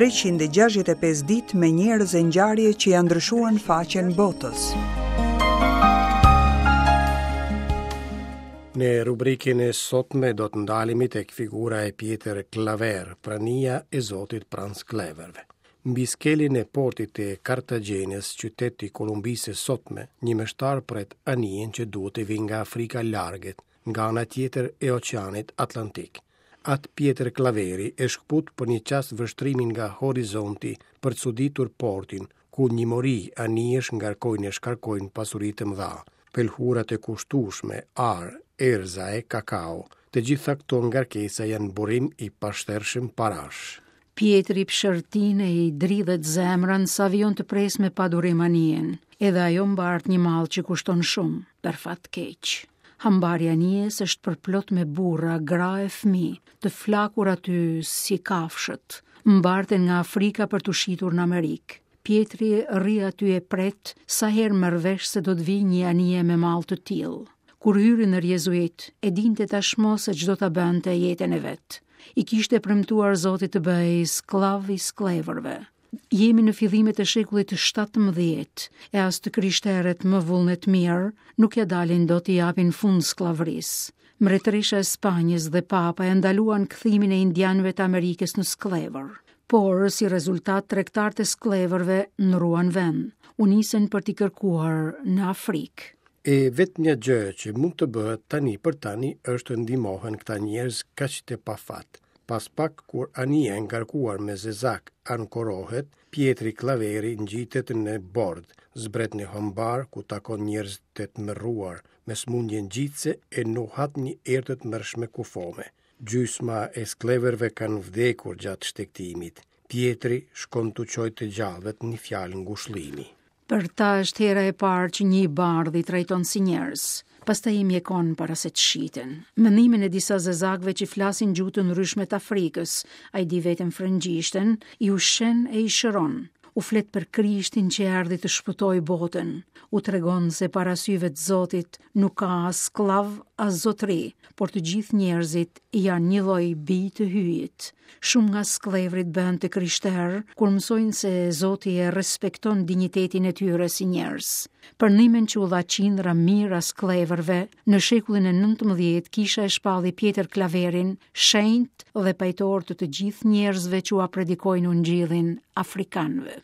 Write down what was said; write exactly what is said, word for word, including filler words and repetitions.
treqind e gjashtëdhjetë e pesë ditë me njerëz e ngjarje që janë ndryshuar në faqen botës. Në rubrikën e sotme do të ndalemi tek figura e Pjetër Klaver, prania e Zotit pranë skllevërve. Mbi skelin e portit të Kartagjenës, qyteti i Kolumbisë së sotme, një meshtar pret anijen që duhet të vijë nga Afrika largët, nga ana tjetër e Oqeanit Atlantik. Atë Pjetër Klaveri e shkput për një çast vështrimin nga horizonti për të çuditur portin, ku një mori anijesh ngarkojnë e shkarkojnë pasuri të mëdha, pelhurat e kushtueshme, ar, erza e kakao. Të gjitha këto ngarkesa janë burim i pashtershëm parash. Pjetri pshërtin e i dridhet zemrën sa vijon të pres me padurim anijen. Edhe ajo mbart një mall që kushton shumë, për fat keq. Hambari anijes është përplot me burra, gra e fëmijë, të flakur aty si kafshët, mbarten nga Afrika për t'u shitur në Amerikë. Pjetri rri aty e pret sa herë merr vesh se do të vijë një anije me mall të tillë. Kur hyri në jezuit, e dinte tashmë se ç'do ta bënte jetën e vet. I kishte premtuar Zotit të bëhej skllav i skllevërve. Jemi në fillimet e shekullit të shtatëmbëdhjetë, e as të krishterët më vullnet mirë nuk ja dalin dot i japin fund skllavërisë. Mbretërisha e Spanjës dhe Papa e ndaluan kthimin e indianëve të Amerikës në skllevër. Por, si rezultat, tregtarët e skllevërve ndruan vend, u nisën për t'i kërkuar në Afrikë. E vetmja gjë që mund të bëhet tani për tani është të ndihmohen këta njerëz kaq të pafat. Pas pak, kur anija e ngarkuar me zezak ankorohet, Pjetri Klaveri ngjitet në bord, zbret në hambar ku takon njerëz të tmerruar, me sëmundje ngjitëse e nuhat një erë të tmerrshme kufome. Gjysma e skllevërve kanë vdekur gjatë shtegtimit. Pjetri shkon t'u çojë të gjallët një fjalë ngushëllimi. Për ta është hera e parë që një i bardhë i trajton si njerëz. Pastaj i mjekon para se të shiten. Mendimin e disa zezakëve që flasin gjuhë të ndryshme të Afrikës, ai di vetëm frëngjishten, i ushqen e i shëron. U flet për Krishtin që erdhi të shpëtojë botën. U tregon se para syve të Zotit nuk ka as skllav, as zotëri, por të gjithë njerëzit janë një lloj bij të hyjit. Shumë nga skllevrit bëhen të krishterë kur mësojnë se Zoti e respekton dinjitetin e tyre si njerëz. Për ndihmën që u dha qindra mijëra skllevërve, në shekullin e nëntëmbëdhjetë kisha e shpalli Pjetër Klaverin shenjt dhe pajtor të të gjithë njerëzve që ua predikojnë ungjillin afrikanëve.